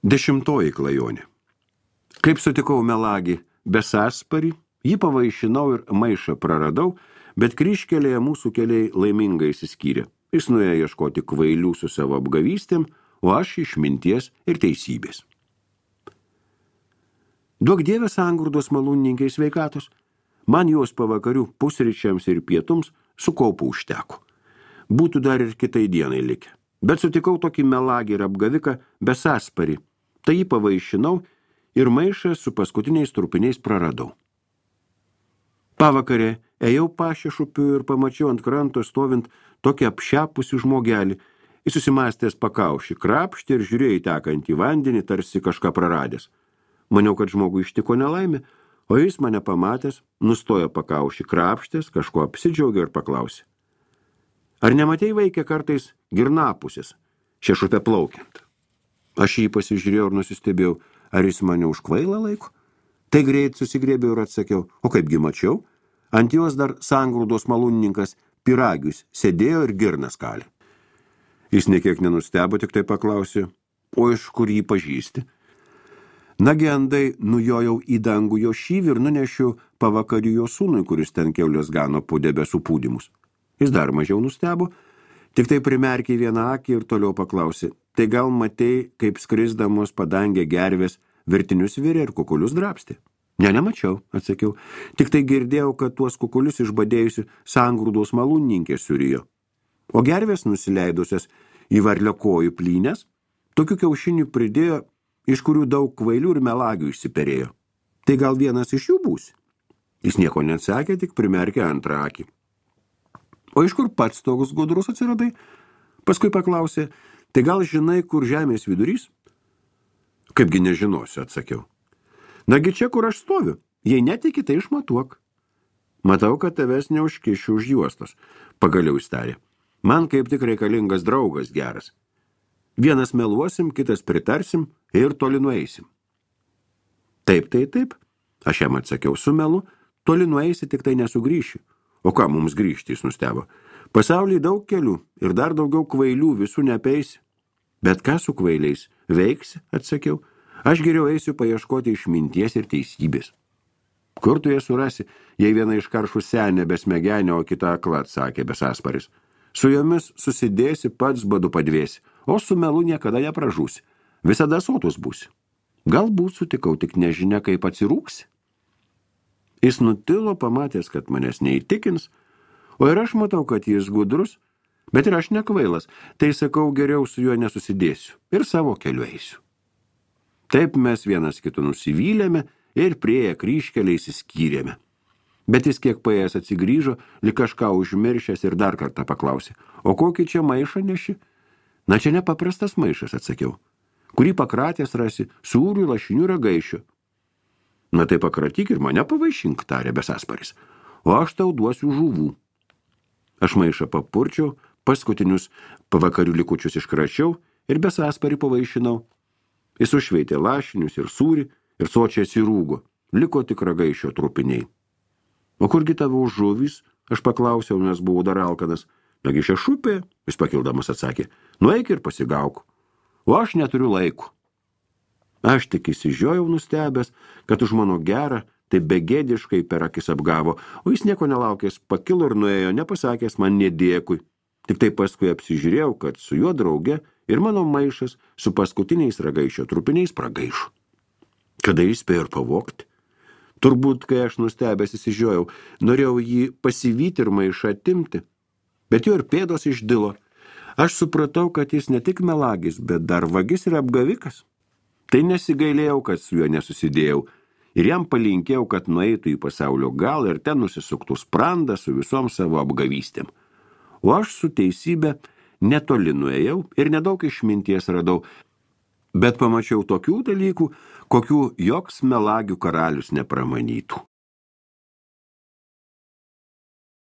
10 klajonė. Kaip sutikau melagį Besasparį, jį pavaišinau ir maišą praradau, bet kryžkelėje mūsų keliai laimingai išsiskyrė. Jis nuėjo ieškoti kvailių su savo apgavystėm, o aš išminties ir teisybės. Duok Dieve sangrūdos malūnininkai sveikatos, man jos pavakarių pusryčiams ir pietums su kaupu užteko. Būtų dar ir kitai dienai likę. Bet sutikau tokį melagį ir apgaviką Besasparį, tai jį pavaišinau ir maišą su paskutiniais trupiniais praradau. Pavakarė ėjau pašešupiu ir pamačiau ant kranto stovint tokį apšepusių žmogelį. Jis susimąstęs pakaušį, krapštė ir žiūrėjo į tekantį vandenį, tarsi kažką praradęs. Maniau, kad žmogui ištiko nelaimė, o jis mane pamatęs, nustojo pakaušį krapštės, kažko apsidžiaugė ir paklausė. Ar nematei vaikė kartais girnapusės, šešupę plaukiant? Aš jį pasižiūrėjau ir nusistebėjau, ar jis mane už kvailą laiko? Tai greit susigrėbėjau ir atsakiau, o kaipgi mačiau? Ant jos dar sangrūdos malūnininkas Pyragius sėdėjo ir girnas kalė. Jis nekiek nenustebo, tik tai paklausė, o iš kur jį pažįsti? Nagi andai nujojau į dangų jo šyvį ir nunešiu pavakariu jo sūnui, kuris ten kiaulės gano po debesų pūdymus. Jis dar mažiau nustebo, tik tai primerkė vieną akį ir toliau paklausė, tai gal matei, kaip skrisdamos padangė gervės vertinius virė ir kukulius drapstė? Ne, nemačiau, atsakiau, tik tai girdėjau, kad tuos kukulius išbadėjusi sangrūdos malūnininkė surijo. O gervės nusileidusias į varlio kojų plynės, tokių kiaušinių pridėjo, iš kurių daug kvailių ir melagių išsiperėjo. Tai gal vienas iš jų būsi? Jis nieko neatsakė, tik primerkė antrą akį. O iš kur pats toks gudrus atsiradai? Paskui paklausė, tai gal žinai, kur žemės vidurys? Kaipgi nežinosiu, atsakiau. Nagi čia, kur aš stoviu, jei netiki, tai išmatuok. Matau, kad tavęs neužkišiu už juostos, pagaliau įstarė. Man kaip tik reikalingas draugas geras. Vienas meluosim, kitas pritarsim ir toli nueisim. Taip, aš jam atsakiau su melu, toli nueisi, tik tai nesugrįši. O ką mums grįžti, jis nustebo. Pasaulyje daug kelių ir dar daugiau kvailių, visų nepeisi. Bet ką su kvailiais veiksi, atsakiau. Aš geriau eisiu paieškoti išminties ir teisybės. Kur tu jas surasi, jei viena iš karšų senė besmegenė, o kita akla, atsakė Besasparis. Su jomis susidėsi, pats badu padvėsi, o su melu niekada nepražūsi. Visada sotus būsi. Galbūt sutikau, tik nežinia, kaip atsirūksi. Jis nutilo, pamatęs, kad manęs neįtikins, o ir aš matau, kad jis gudrus, bet ir aš nekvailas, tai sakau, geriau su juo nesusidėsiu ir savo keliu eisiu. Taip mes vienas kitų nusivylėme ir prieėję kryžkelę išsiskyrėme. Bet jis kiek paėjęs atsigrįžo, lyg kažką užmiršęs ir dar kartą paklausė, o kokį čia maišą neši? Na čia nepaprastas maišas, atsakiau. Kurį pakratęs rasi, sūrių, lašinių ragaišių. Na tai pakratyk ir mane pavaišink, tarė Besasparis, o aš tau duosiu žuvų. Aš maišą papurčiau, paskutinius pavakarių likučius iškračiau ir Besasparį pavaišinau. Jis užšveitė lašinius ir sūrį ir sočiai atsirūgo, liko tik ragaišio trupiniai. O kurgi tavo žuvys, aš paklausiau, nes buvau dar alkanas. Nagi šešupė, jis pakildamas atsakė, nueik ir pasigauk, o aš neturiu laiko. Aš tik įsižiojau nustebęs, kad už mano gerą, tai begėdiškai per akis apgavo, o jis nieko nelaukęs pakilo ir nuėjo, nepasakęs man nedėkui. Tik tai paskui apsižiūrėjau, kad su juo drauge ir mano maišas su paskutiniais ragaišio trupiniais pragaišo. Kada jis spėjo ir pavogti? Turbūt, kai aš nustebęs įsižiojau, norėjau jį pasivyti ir maišą atimti, bet jo ir pėdos išdilo. Aš supratau, kad jis ne tik melagis, bet dar vagis ir apgavikas. Tai nesigailėjau, kad su juo nesusidėjau ir jam palinkėjau, kad nueitų į pasaulio galą ir ten nusisuktų sprandą su visom savo apgavystėm. O aš su teisybė netoli nuėjau ir nedaug išminties radau, bet pamačiau tokių dalykų, kokių joks melagių karalius nepramanytų.